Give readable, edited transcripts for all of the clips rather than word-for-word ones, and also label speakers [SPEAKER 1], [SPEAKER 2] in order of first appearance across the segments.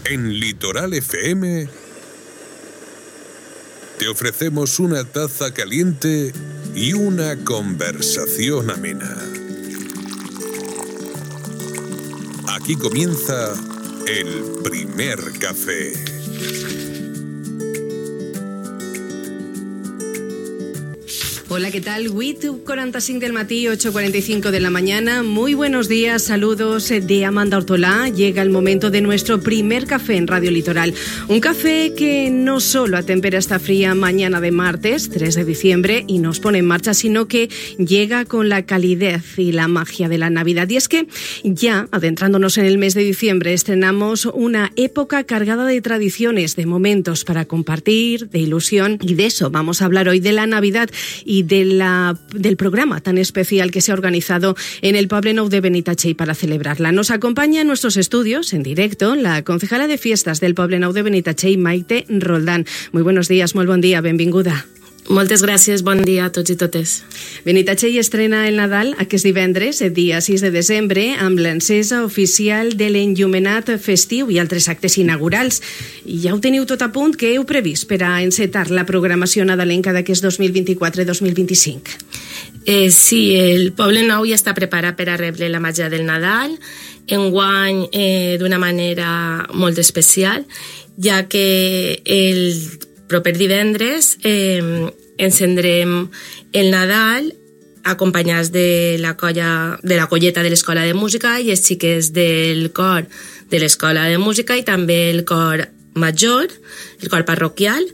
[SPEAKER 1] En Litoral FM te ofrecemos una taza caliente y una conversación amena. Aquí comienza el primer café.
[SPEAKER 2] Hola, ¿qué tal? 8:45 del matí, 8:45 de la mañana. Muy buenos días, saludos de Amanda Ortolá. Llega el momento de nuestro primer café en Radio Litoral. Un café que no solo atempera esta fría mañana de martes, 3 de diciembre, y nos pone en marcha, sino que llega con la calidez y la magia de la Navidad. Y es que ya, adentrándonos en el mes de diciembre, estrenamos una época cargada de tradiciones, de momentos para compartir, de ilusión, y de eso vamos a hablar hoy, de la Navidad y del programa tan especial que se ha organizado en el Poble Nou de Benitatxell para celebrarla. Nos acompaña en nuestros estudios, en directo, la concejala de fiestas del Poble Nou de Benitatxell, Maite Roldán. Muy buenos días, molt bon dia, benvinguda.
[SPEAKER 3] Moltes gràcies, bon dia a tots i totes.
[SPEAKER 2] Benitatxell estrena el Nadal aquest divendres, el dia 6 de desembre, amb l'encesa oficial de l'enllumenat festiu i altres actes inaugurals. I ja ho teniu tot a punt, què heu previst per a encetar la programació nadalenca d'aquest 2024-2025?
[SPEAKER 3] Sí, el Poble Nou ja està preparat per a rebre la màgia del Nadal, enguany d'una manera molt especial, ja que el proper divendres encendrem el Nadal acompanyats de la colleta de l'Escola de Música i els xiquets del cor de l'Escola de Música i també el cor major, el cor parroquial.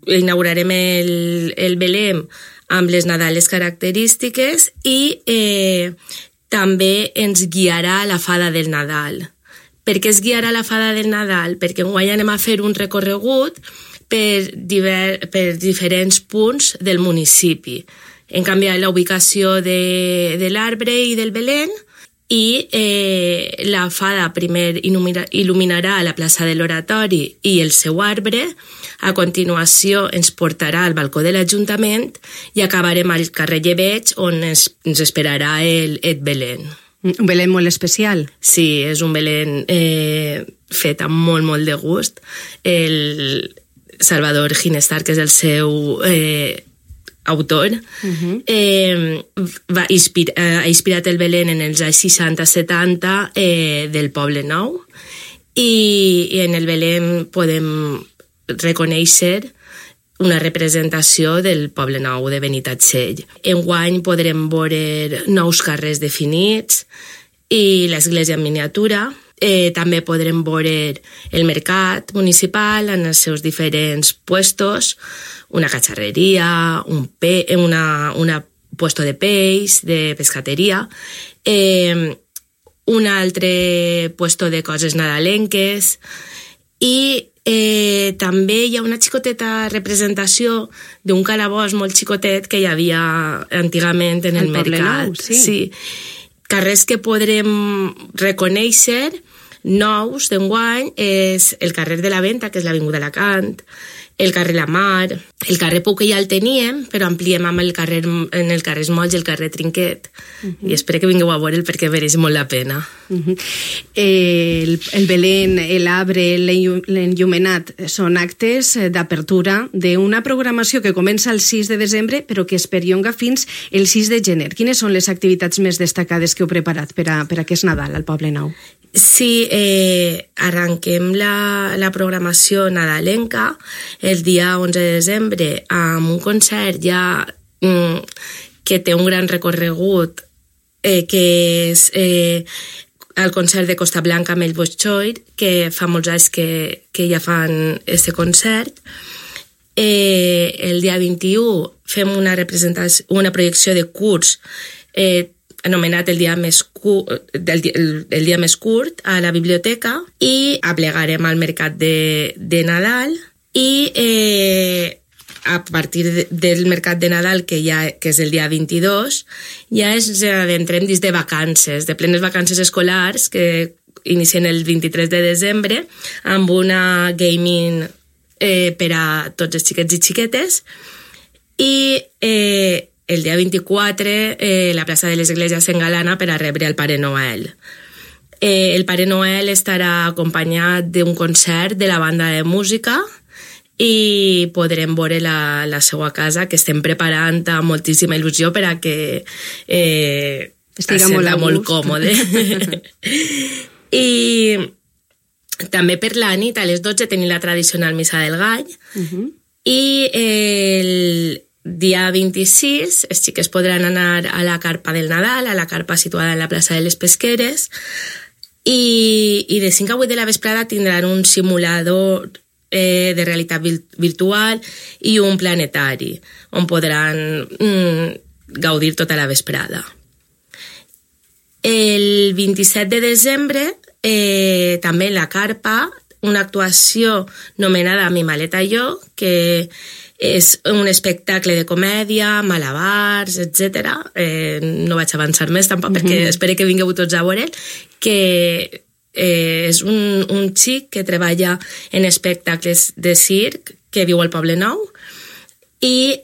[SPEAKER 3] Inaugurarem el Belém amb les Nadales característiques i també ens guiarà la Fada del Nadal. Per què es guiarà la Fada del Nadal? Perquè enguany anem a fer un recorregut per diferents punts del municipi. Hem canviat la ubicació de l'arbre i del Belén i la Fada primer il·luminarà la plaça de l'Oratori i el seu arbre. A continuació ens portarà al balcó de l'Ajuntament i acabarem al carrer Llebeig, on ens esperarà el Belén.
[SPEAKER 2] Un Belén molt especial.
[SPEAKER 3] Sí, és un Belén fet amb molt de gust. El Salvador Ginestar, que és el seu autor, ha inspirat el Belén en els anys 60-70 del Poble Nou, i en el Belén podem reconèixer una representació del Poble Nou de Benitatxell. Enguany podrem veure nous carrers definits i l'església en miniatura. També podrem veure el mercat municipal en els seus diferents puestos, una catxarreria, un puesto de peix, de pescateria, un altre puesto de coses nadalenques, i també hi ha una xicoteta representació d'un calabós molt xicotet que hi havia antigament en el mercat.
[SPEAKER 2] Nou, sí.
[SPEAKER 3] Carrers que podrem reconèixer nous d'enguany és el carrer de la Venta, que és l'Avinguda Alacant, el carrer La Mar, el carrer Pou, que ja el teníem, però ampliem amb en el carrer Molls i el carrer Trinquet. I espero que vingueu a veure'l perquè mereix molt la pena.
[SPEAKER 2] El Belén, l'arbre, l'enllumenat són actes d'apertura d'una programació que comença el 6 de desembre però que es perllonga fins el 6 de gener. Quines són les activitats més destacades que heu preparat per a aquest Nadal al Poble Nou?
[SPEAKER 3] Sí, arrenquem la programació nadalenca el dia 11 de desembre amb un concert ja que té un gran recorregut, que és el concert de Costa Blanca amb el Bolxoi, que fa molts anys que ja fan aquest concert. El dia 21 fem una projecció de curs anomenat el dia més curt a la biblioteca, i aplegarem al mercat de Nadal, i a partir del mercat de Nadal, que és el dia 22, ja ens adentrem dins de vacances, de plenes vacances escolars, que inicien el 23 de desembre, amb una gaming per a tots els xiquets i xiquetes, i el dia 24 la plaça de l'Església s'engalana per a rebre el Pare Noel. El Pare Noel estarà acompanyat d'un concert de la banda de música i podrem veure la seva casa, que estem preparant amb moltíssima il·lusió per a que
[SPEAKER 2] estiga molt
[SPEAKER 3] còmode. I també per la nit, a les 12, tenim la tradicional Missa del Gall, i el dia 26 els xiques podran anar a la carpa del Nadal, a la carpa situada en la plaça de les Pesqueres, i de 5 a 8 de la vesprada tindran un simulador de realitat virtual i un planetari, on podran gaudir tota la vesprada. El 27 de desembre, també en la carpa, una actuació nomenada Mi maleta i jo, que és un espectacle de comèdia, malabars, etc. No vaig avançar més tampoc, perquè espero que vingueu tots a veure'l, que és un xic que treballa en espectacles de circ, que viu al Poble Nou, i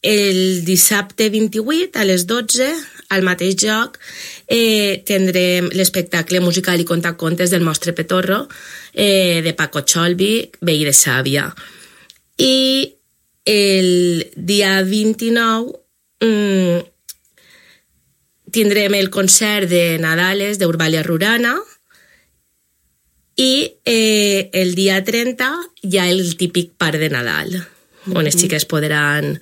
[SPEAKER 3] el dissabte 28, a les 12, al mateix lloc, tindrem l'espectacle musical i contacontes del Mostre Petorro, de Paco Cholvi, veí de Sàvia. I el dia 29 tindrem el concert de Nadales d'Eurbalia Rurana i el dia 30 hi ha el típic parc de Nadal, on les xiques podran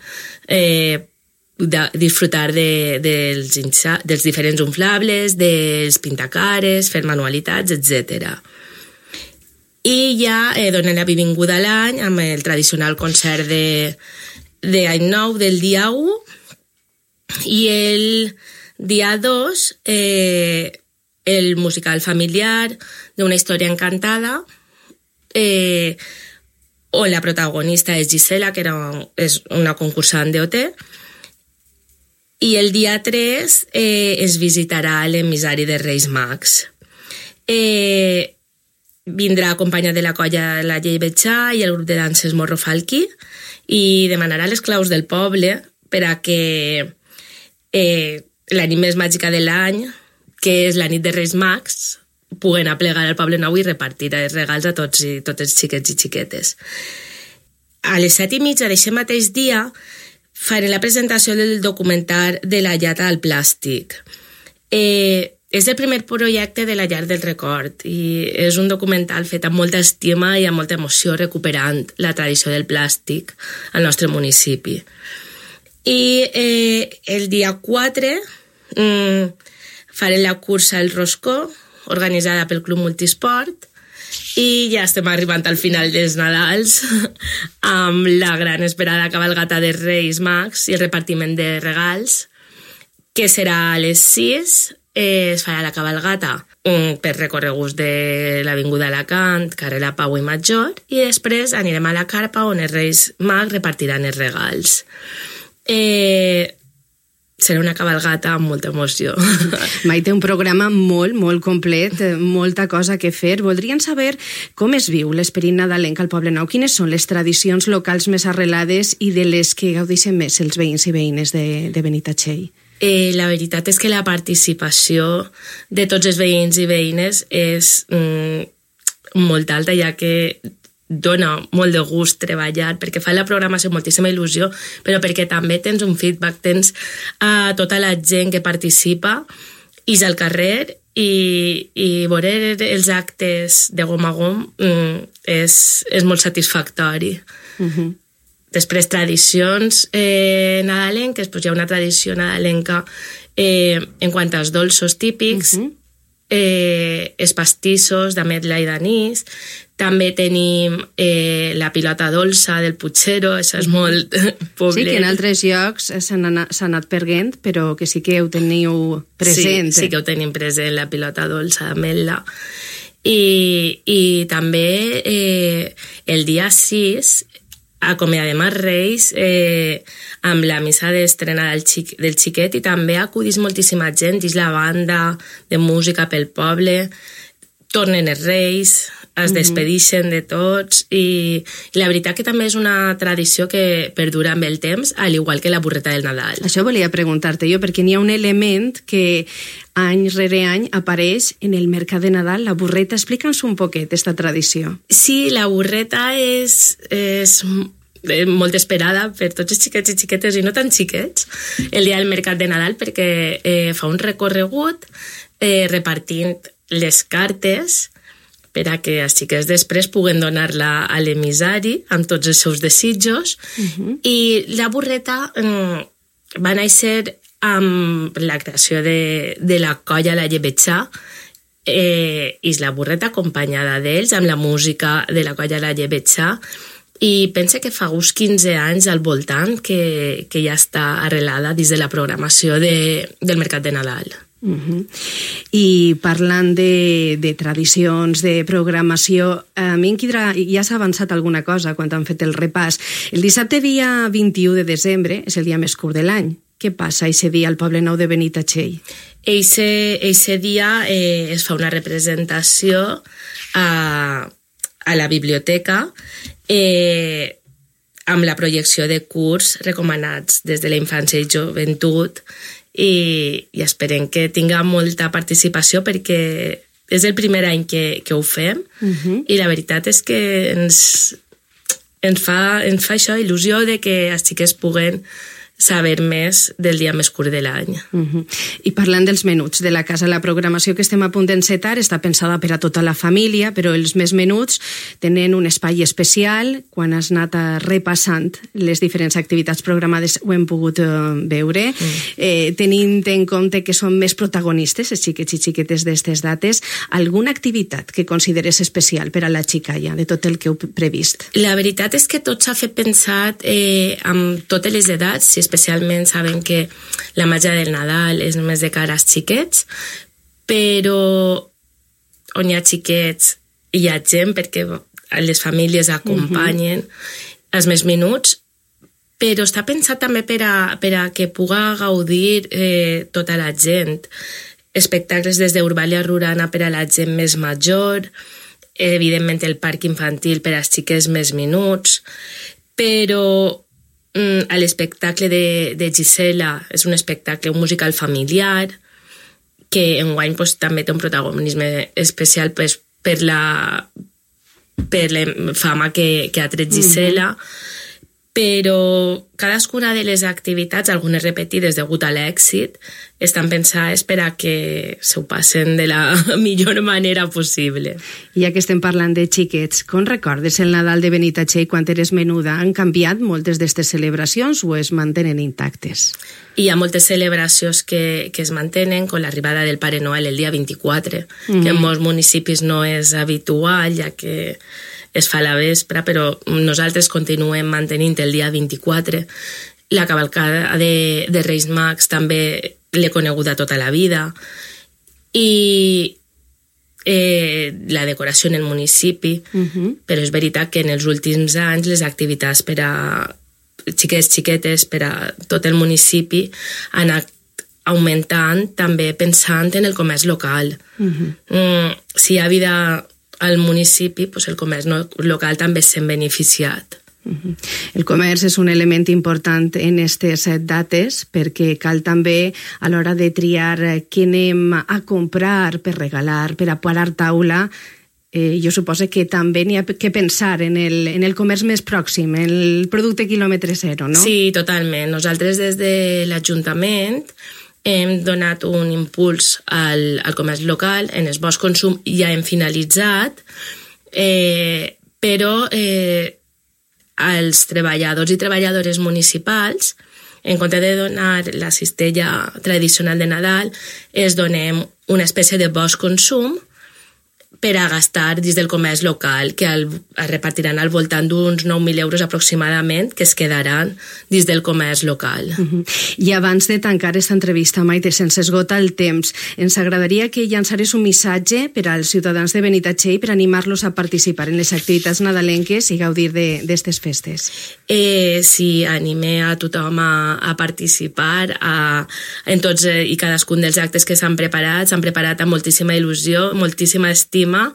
[SPEAKER 3] disfrutar dels diferents inflables, dels pintacares, fer manualitats, etc. I ja donen la benvinguda a l'any amb el tradicional concert d'Any Nou del dia 1, i el dia 2 el musical familiar d'Una història encantada, on la protagonista és Gisela, que és una concursant d'OT, i el dia 3 es visitarà l'emissari de Reis Mags. Vindrà acompanyat de la colla La Llei Betxà i el grup de danses Morro Falqui i demanarà les claus del poble per a que la nit més màgica de l'any, que és la nit de Reis Mags, puguen aplegar al Poble Nou i repartir els regals a tots els xiquets i xiquetes. A les 7:30 d'aquest mateix dia faré la presentació del documental de La llata al plàstic. És el primer projecte de la Llar del Record i és un documental fet amb molta estima i amb molta emoció, recuperant la tradició del plàstic al nostre municipi. I el dia 4 faré la cursa El Roscó, organitzada pel Club Multisport, i ja estem arribant al final dels Nadals amb la gran esperada cabalgata de Reis Mags i el repartiment de regals, que serà a les 6. Es farà la cabalgata per recorreguts de l'Avinguda Alacant, carrer La Pau i Major, i després anirem a la carpa on els Reis Mags repartiran els regals. Serà una cabalgata amb molta emoció.
[SPEAKER 2] Maite, un programa molt, molt complet, molta cosa que fer. Voldrien saber com es viu l'esperit nadalenc al Poble Nou, quines són les tradicions locals més arrelades i de les que gaudeixen més els veïns i veïnes de Benitatxell.
[SPEAKER 3] La veritat és que la participació de tots els veïns i veïnes és molt alta, ja que dona molt de gust treballar, perquè fa la programació moltíssima il·lusió, però perquè també tens un feedback, tens tota la gent que participa i és al carrer, i veure els actes de gom a gom és molt satisfactori. Després, tradicions nadalenques, doncs hi ha una tradició nadalenca en quant als dolços típics, els pastissos d'ametla i d'anís. També tenim la pilota dolça del Puigero, això és molt poblet.
[SPEAKER 2] Sí, que en altres llocs s'ha anat perdent, però que sí que ho teniu present.
[SPEAKER 3] Sí que ho tenim present, la pilota dolça d'ametla. I també el dia 6 acomiadem els Reis amb la missa d'estrena del xiquet, i també acudís moltíssima gent, és la banda de música pel poble, tornen els Reis, es despedixen de tots i la veritat que també és una tradició que perdura amb el temps, al igual que la burreta del Nadal.
[SPEAKER 2] Això volia preguntar-te jo, perquè n'hi ha un element que any rere any apareix en el mercat de Nadal, la burreta. Explica'ns un poquet aquesta tradició.
[SPEAKER 3] Sí, la burreta és molt esperada per tots els xiquets i xiquetes i no tan xiquets el dia del mercat de Nadal, perquè fa un recorregut repartint les cartes per a que els xiquets després puguen donar-la a l'emissari amb tots els seus desitjos. I la burreta va néixer amb la creació de la colla La Llebetxà, i la burreta acompanyada d'ells amb la música de la colla La Llebetxà, i pense que fa uns 15 anys al voltant que ja està arrelada dins de la programació del mercat de Nadal.
[SPEAKER 2] I parlant de tradicions, de programació, a mi em quedarà, ja s'ha avançat alguna cosa quan han fet el repàs. El dissabte dia 21 de desembre és el dia més curt de l'any. Què passa aquest dia al Poble Nou de Benitatxell?
[SPEAKER 3] Eixe dia es fa una representació a la biblioteca amb la projecció de curs recomanats des de la infància i joventut, i esperem que tinga molta participació perquè és el primer any que ho fem, i la veritat és que ens fa això il·lusió de que els xiquets puguen saber més del dia més curt de l'any.
[SPEAKER 2] I parlant dels menuts de la casa, la programació que estem a punt d'encetar està pensada per a tota la família, però els més menuts tenen un espai especial. Quan has anat repassant les diferents activitats programades ho hem pogut veure, tenint en compte que són més protagonistes els xiquets i xiquetes d'aquestes dates. Alguna activitat que consideres especial per a la xicalla de tot el que heu previst?
[SPEAKER 3] La veritat és que tot s'ha fet pensat amb totes les edats, si especialment sabem que la màgia del Nadal és només de cara als xiquets, però on hi ha xiquets hi ha gent, perquè les famílies acompanyen els més menuts, però està pensat també per a que puga gaudir tota la gent. Espectacles des d'Eurbalia Rurana per a la gent més major, evidentment el parc infantil per als xiquets més menuts, però a l'espectacle de Gisela és un espectacle, un musical familiar, que enguany també té un protagonisme especial per la fama que ha tret Gisela, però cadascuna de les activitats, algunes repetides degut a l'èxit, estan pensades per a que s'ho passen de la millor manera possible.
[SPEAKER 2] Ja que estem parlant de xiquets, com recordes el Nadal de Benitatxell quan eres menuda? Han canviat moltes d'aquestes celebracions o es mantenen intactes?
[SPEAKER 3] Hi ha moltes celebracions que es mantenen, com l'arribada del Pare Noel el dia 24, que en molts municipis no és habitual, ja que es fa a la vespre, però nosaltres continuem mantenint el dia 24. La cavalcada de Reis Mags també l'he coneguda tota la vida. I la decoració en el municipi, però és veritat que en els últims anys les activitats per a xiquets, xiquetes, per a tot el municipi han anat augmentant, també pensant en el comerç local. Si hi ha vida al municipi, pues el comerç local també s'ha beneficiat.
[SPEAKER 2] El comerç és un element important en aquestes dates perquè cal també a l'hora de triar què anem a comprar per regalar, per a parar taula. Jo suposo que també n'hi ha que pensar en el comerç més pròxim, en el producte quilòmetre zero, no?
[SPEAKER 3] Sí, totalment. Nosaltres des de l'Ajuntament hem donat un impuls al comerç local, en el Bosch Consum ja hem finalitzat, però als treballadors i treballadores municipals, en compte de donar la cistella tradicional de Nadal, es donem una espècie de Bosch Consum per a gastar dins del comerç local, que es repartiran al voltant d'uns 9.000 euros aproximadament, que es quedaran dins del comerç local.
[SPEAKER 2] I abans de tancar aquesta entrevista, Maite, sense esgotar el temps, ens agradaria que llançares un missatge per als ciutadans de Benitatxell per animar-los a participar en les activitats nadalenques i gaudir d'aquestes festes.
[SPEAKER 3] Sí, anime a tothom a participar en tots i cadascun dels actes que s'han preparat amb moltíssima il·lusió, moltíssima estima clima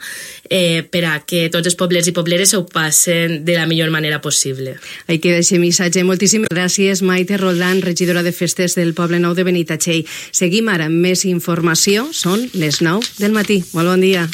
[SPEAKER 3] per a que tots els poblers i pobleres ho passen de la millor manera possible.
[SPEAKER 2] Ahí queda aquest missatge. Moltíssimes gràcies, Maite Roldán, regidora de Festes del Poble Nou de Benitatxell. Seguim ara amb més informació. Són les 9 del matí. Molt bon dia.